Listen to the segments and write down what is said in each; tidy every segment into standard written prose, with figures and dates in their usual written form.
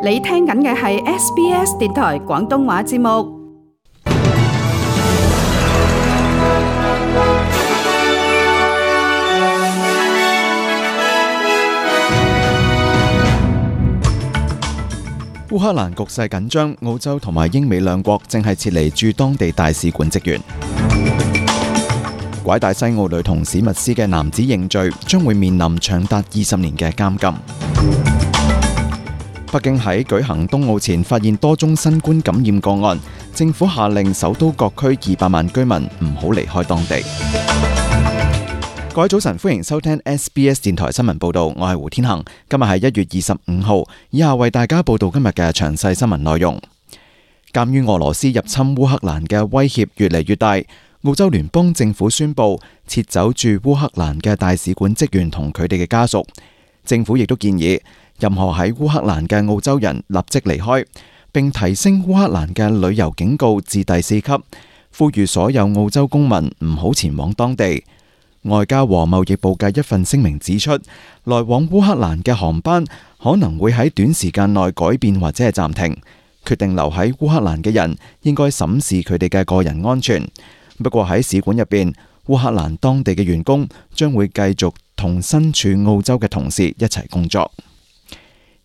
你聽緊嘅係 SBS 電台廣東話節目。烏克蘭局勢緊張，澳洲同埋英美兩國正係撤離駐當地大使館職員。拐帶西澳女童史密斯嘅男子認罪，將會面臨長達20年嘅監禁。北京喺舉行冬奧前發現多宗新冠感染個案，政府下令首都各區200萬居民唔好離開當地。各位早晨，歡迎收聽 SBS 電台新聞報道，我係胡天恒。今日係1月25號，以下為大家報道今日嘅詳細新聞內容。鑒於俄羅斯入侵烏克蘭嘅威脅越嚟越大，澳洲聯邦政府宣布撤走駐烏克蘭嘅大使館職員同佢哋嘅家屬。政府亦都建議任何喺烏克蘭嘅澳洲人立即離開，並提升烏克蘭嘅旅遊警告至第4級，呼籲所有澳洲公民唔好前往當地。外交和貿易部嘅一份聲明指出，來往烏克蘭嘅航班可能會喺短時間內改變或者係暫停。決定留喺烏克蘭嘅人應該審視佢哋嘅個人安全。不過喺使館入邊，烏克蘭當地嘅員工將會繼續同身處澳洲嘅同事一齊工作。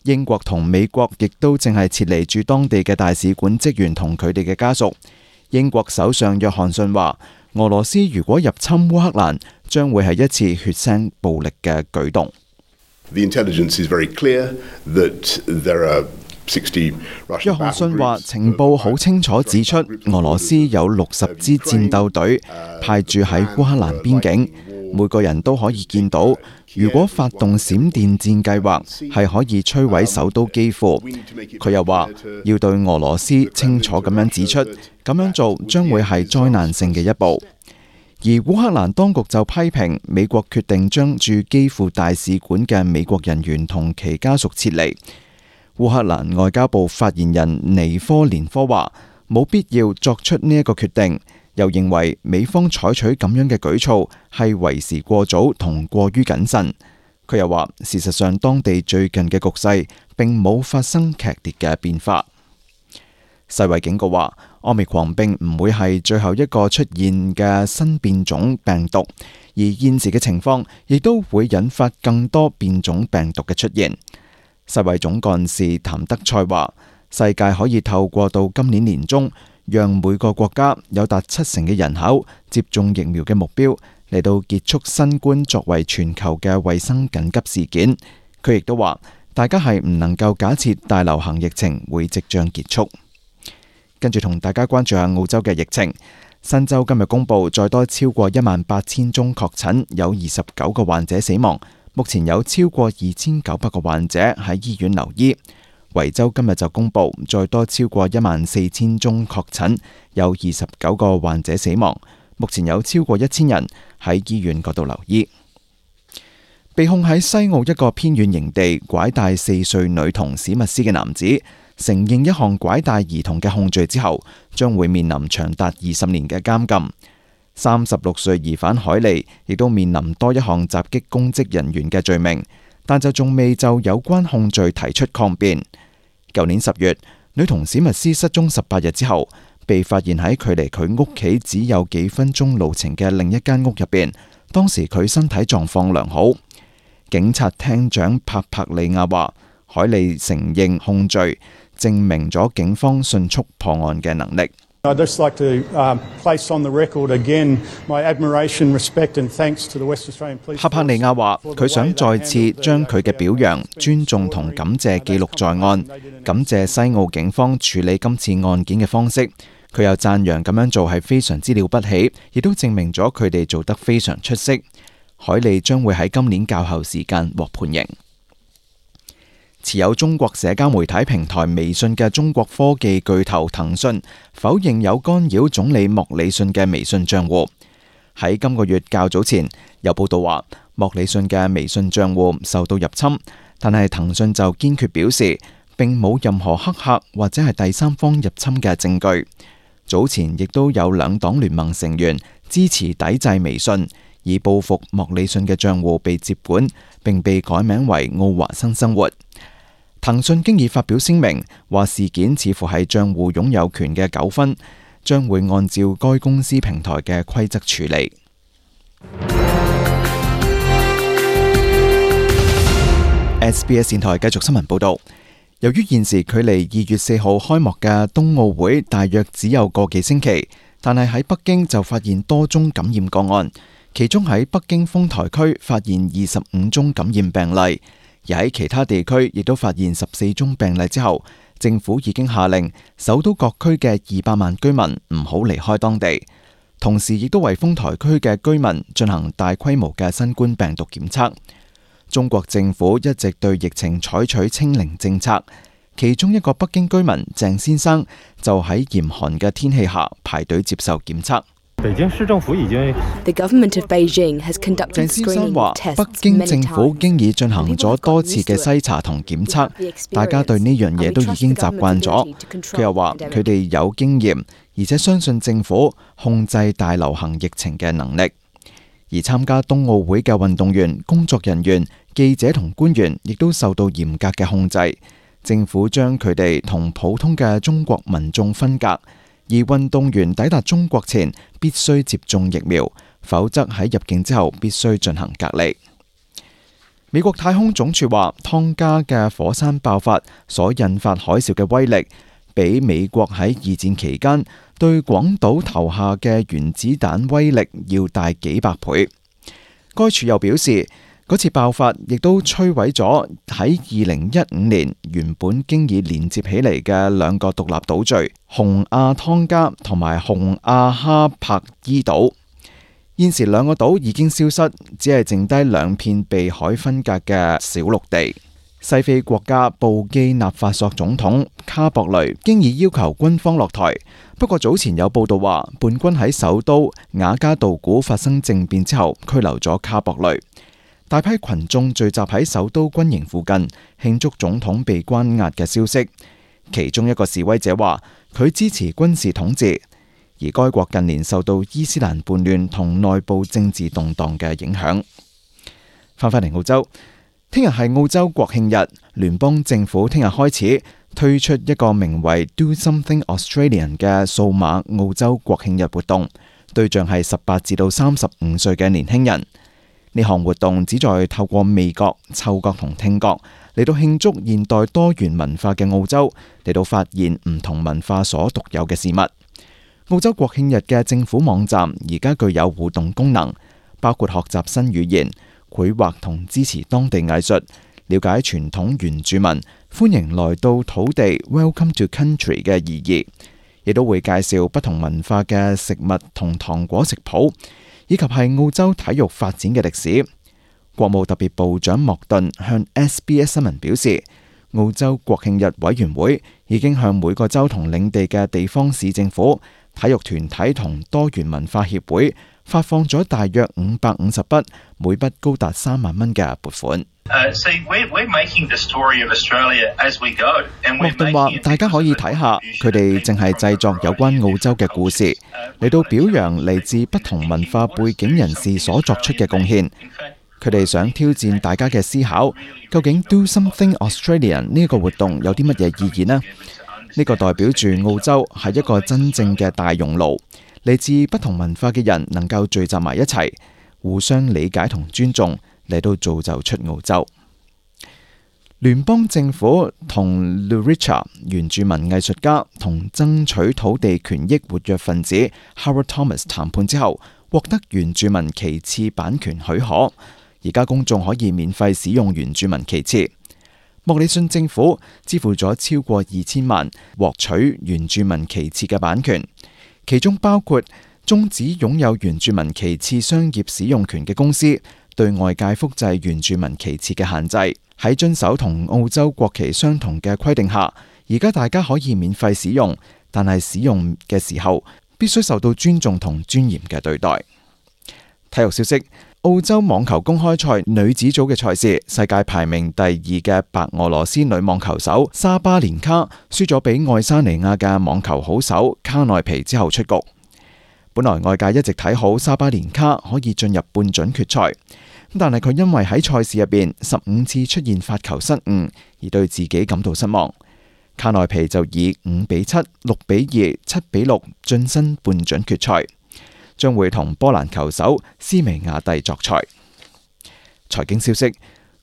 英國同美國亦都正係撤離駐當地嘅大使館職員同佢哋嘅家屬。英國首相約翰遜話，俄羅斯如果入侵烏克蘭，將會係一次血腥暴力嘅舉動。The intelligence is very clear that there are 60 Russian 約翰遜話，情報好清楚指出，俄羅斯有60支戰鬥隊派駐喺烏克蘭邊境，每個人都可以見到，如果發動閃電戰計劃，係可以摧毀首都基輔。佢又話，要對俄羅斯清楚咁樣指出，咁樣做將會係災難性嘅一步。而烏克蘭當局就批評美國決定將駐基輔大使館嘅美國人員同其家屬撤離。烏克蘭外交部發言人尼科連科話，冇必要作出呢一個決定，又認為美方採取咁樣嘅舉措係為時過早同過於謹慎。佢又話，事實上當地最近嘅局勢並冇發生劇烈嘅變化。世衛警告話，Omicron並唔會係最後一個出現嘅新變種病毒，而現時嘅情況亦都會引發更多變種病毒嘅出現。世衛總幹事譚德塞話，世界可以透過到今年年中，讓每個國家有達70%嘅人口接種疫苗嘅目標，嚟到結束新冠作為全球嘅衛生緊急事件。佢亦都話，大家係唔能夠假設大流行疫情會即將結束。跟住同大家關注下澳洲嘅疫情。新州今日公布再多超過18000宗確診，有29個患者死亡。目前有超過2900個患者喺醫院留醫。維州今日就公布再多超過14000宗確診，有29個患者死亡。目前有超過1000人喺醫院嗰度留醫。被控喺西澳一個偏遠營地拐帶4歲女童史密斯嘅男子，承認一項拐帶兒童嘅控罪之後，將會面臨長達20年嘅監禁。36歲疑犯海利亦都面臨多一項襲擊公職人員嘅罪名，但就仲未就有關控罪提出抗辯。舊年10月，女童史密斯失蹤18日之後，被發現喺距離佢屋企只有幾分鐘路程嘅另一間屋入邊。當時佢身體狀況良好。警察廳長帕帕利亞話，海利承認控罪，證明咗警方迅速破案嘅能力。I'd just like to place on the record again my admiration, respect and thanks to the West Australian Police. 帕帕利亞話，佢想再次將佢嘅表揚、尊重同感謝記錄在案，感謝西澳警方處理今次案件嘅方式。佢又讚揚咁樣做係非常之了不起，亦都證明咗佢哋做得非常出色。海利將會喺今年較後時間獲判刑。持有中國社交媒體平台微信嘅中國科技巨頭騰訊否認有干擾總理莫里遜嘅微信賬戶。喺今個月較早前，有報道話莫里遜嘅微信賬戶受到入侵，但係騰訊就堅決表示並冇任何黑客或者係第三方入侵嘅證據。早前亦都有兩黨聯盟成員支持抵制微信，以報復莫里遜嘅賬戶被接管，並被改名為奧華新生活。騰訊經已發表聲明，話事件似乎係帳戶擁有權嘅糾紛，將會按照該公司平台嘅規則處理。SBS 電台繼續新聞報導。由於現時距離2月4號開幕嘅冬奧會大約只有個幾星期，但係喺北京就發現多宗感染個案，其中喺北京豐台區發現25宗感染病例，而喺其他地區亦都發現14宗病例之後，政府已經下令首都各區嘅200萬居民唔好離開當地，同時亦都為豐台區嘅居民進行大規模嘅新冠病毒檢測。中國政府一直對疫情採取清零政策，其中一個北京居民鄭先生就喺嚴寒嘅天氣下排隊接受檢測。北京市政府已經鄭先生話，北京政府經已進行咗多次嘅篩查同檢測，大家對呢樣嘢都已經習慣咗。佢又話佢哋有經驗，而且相信政府控制大流行疫情嘅能力。而參加冬奧會嘅運動員、工作人員、記者同官員亦都受到嚴格嘅控制。政府將佢哋同普通嘅中國民眾分隔，而運動員抵達中國前必須接種疫苗，否則喺入境之後必須進行隔離。美國太空總署話，湯加嘅火山爆發所引發海嘯嘅威力，比美國喺二戰期間對廣島投下嘅原子彈威力要大幾百倍。該處又表示，嗰次爆發亦都摧毀咗喺2015年原本經已連接起嚟嘅兩個獨立島嶼洪亞湯加同埋洪亞哈柏伊島。現時兩個島已經消失，只係剩低兩片被海分隔嘅小陸地。西非國家布基納法索總統卡博雷經已要求軍方落台，不過早前有報道話，叛軍喺首都瓦加杜古發生政變之後拘留咗卡博雷。大批群眾聚集喺首都軍營附近慶祝總統被關押嘅消息。其中一個示威者話，佢支持軍事統治，而該國近年受到伊斯蘭叛亂同內部政治動盪嘅影響。翻返嚟澳洲，聽日係澳洲國慶日，聯邦政府聽日開始推出一個名為 Do Something Australian 嘅數碼澳洲國慶日活動，對象係18至到35歲嘅年輕人。呢項活動旨在透過味覺、嗅覺同聽覺嚟到慶祝現代多元文化嘅澳洲，嚟到發現唔同文化所獨有嘅事物。澳洲國慶日嘅政府網站而家具有互動功能，包括學習新語言、繪畫同支持當地藝術，了解傳統原住民歡迎來到土地 Welcome to Country 嘅意義，亦都會介紹不同文化嘅食物同糖果食譜，以及係澳洲體育發展嘅歷史。國務特別部長莫頓向 SBS 新聞表示，澳洲國慶日委員會已經向每個州同領地嘅地方市政府、體育團體同多元文化協會發放咗大約550筆，每筆高達3萬蚊嘅撥款。莫頓話：大家可以睇下，佢哋淨係製作有關澳洲嘅故事，嚟到表揚嚟自不同文化背景人士所作出嘅貢獻。佢哋想挑戰大家嘅思考，究竟 Do Something Australian 呢個活動有啲乜嘢意義呢？呢個代表住澳洲係一個真正嘅大熔爐，嚟自不同文化嘅人能夠聚集埋一齊，互相理解同尊重，嚟到造就出澳洲。聯邦政府同 Luricha 原住民藝術家同爭取土地權益活躍分子 Howard Thomas 談判之後，獲得原住民旗幟版權許可，而家公眾可以免費使用原住民旗幟。莫里遜政府支付咗超過2000萬獲取原住民旗幟嘅版權，其中包括終止擁有原住民旗幟商業使用權嘅公司對外界複製原住民旗幟嘅限制。喺遵守同澳洲國旗相同嘅規定下，而家大家可以免費使用，但係使用嘅時候必須受到尊重同尊嚴嘅對待。體育消息：澳洲網球公開賽女子組嘅賽事，世界排名第2嘅白俄羅斯女網球手沙巴連卡輸咗俾愛沙尼亞嘅網球好手卡內皮之後出局。本來外界一直睇好沙巴連卡可以進入半準決賽，但係佢因為喺賽事入邊15次出現發球失誤，而對自己感到失望。卡內皮就以5-7、6-2、7-6晉身半準決賽，將會同波蘭球手斯維亞蒂作賽。財經消息：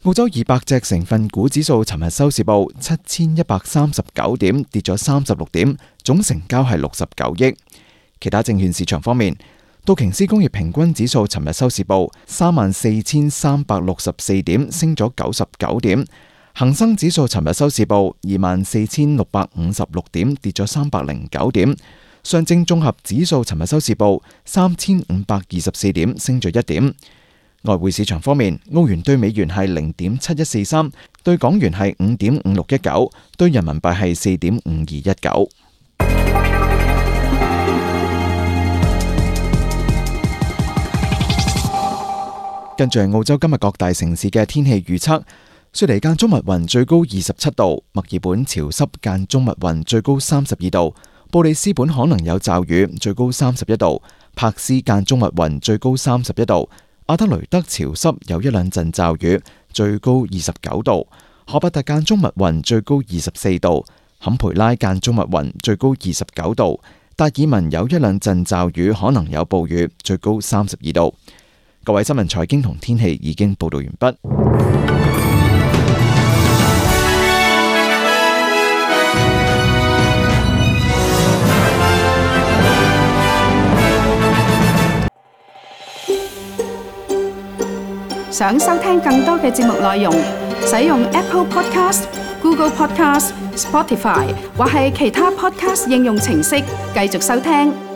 澳洲200隻成分股指數尋日收市報7139點，跌咗36點，總成交係69億。其他證券市場方面，道瓊斯工業平均指數尋日收市報34,364點，升咗99點。恒生指數尋日收市報24,656點，跌咗309點。上證綜合指數尋日收市報3,524點，升咗1點。外匯市場方面，澳元對美元係0.7143，對港元係5.5619，對人民幣係4.5219。跟住係澳洲今日各大城市嘅天氣預測。雪梨間中密雲，最高27度；墨爾本潮濕間中密雲，最高32度；布里斯本可能有驟雨，最高31度；柏斯間中密雲，最高31度；阿德雷德潮濕有一兩陣驟雨，最高29度；荷伯特間中密雲，最高24度；坎培拉間中密雲，最高29度；達爾文有一兩陣驟雨，可能有暴雨，最高32度。各位新聞、財經同天氣已經報道完畢。想收聽更多嘅節目內容，使用 Apple Podcast、Google Podcast、Spotify 或係其他 Podcast 應用程式繼續收聽。